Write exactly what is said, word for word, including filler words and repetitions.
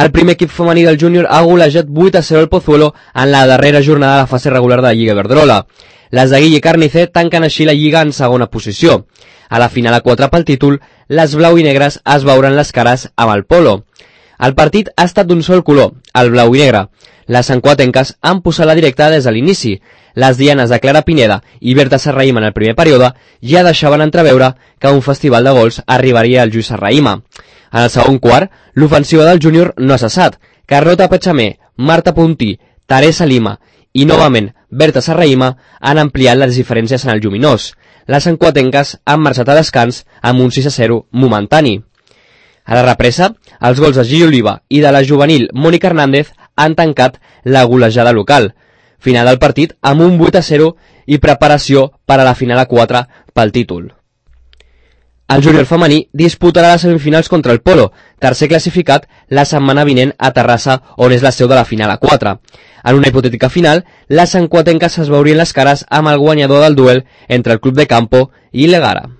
El primer equip femení del júnior ha golejat vuit a zero el Pozuelo en la darrera jornada de la fase regular de la Lliga Iberdrola. Les de Guille Carnicer tanquen així la Lliga en segona posició. A la final a quatre pel títol, les blau i negres es veuran les cares amb el Polo. El partit ha estat d'un sol color, el blau i negre. Les sancuatenques han posat la directa des de l'inici. Les dianes de Clara Pineda i Berta Serrahima en el primer període ja deixaven entreveure que un festival de gols arribaria al Lluís Serrahima. En el segon quart, l'ofensiva del júnior no ha cessat. Carlota Pechamé, Marta Puntí, Teresa Lima i, novament, Berta Serrahima han ampliat les diferències en el lluminós. Les sancuatenques han marxat a descans amb un sis a zero momentani. A la represa, els gols de Gili Oliva i de la juvenil Mònica Hernández han tancat la golejada local. Final del partit amb un vuit a zero i preparació per a la final a quatre pel títol. El júnior femení disputarà les semifinals contra el Polo, tercer classificat la setmana vinent a Terrassa, on és la seu de la final a quatre. En una hipotètica final, les sancuatenques es veurien les cares amb el guanyador del duel entre el Club de Campo i l'Egara.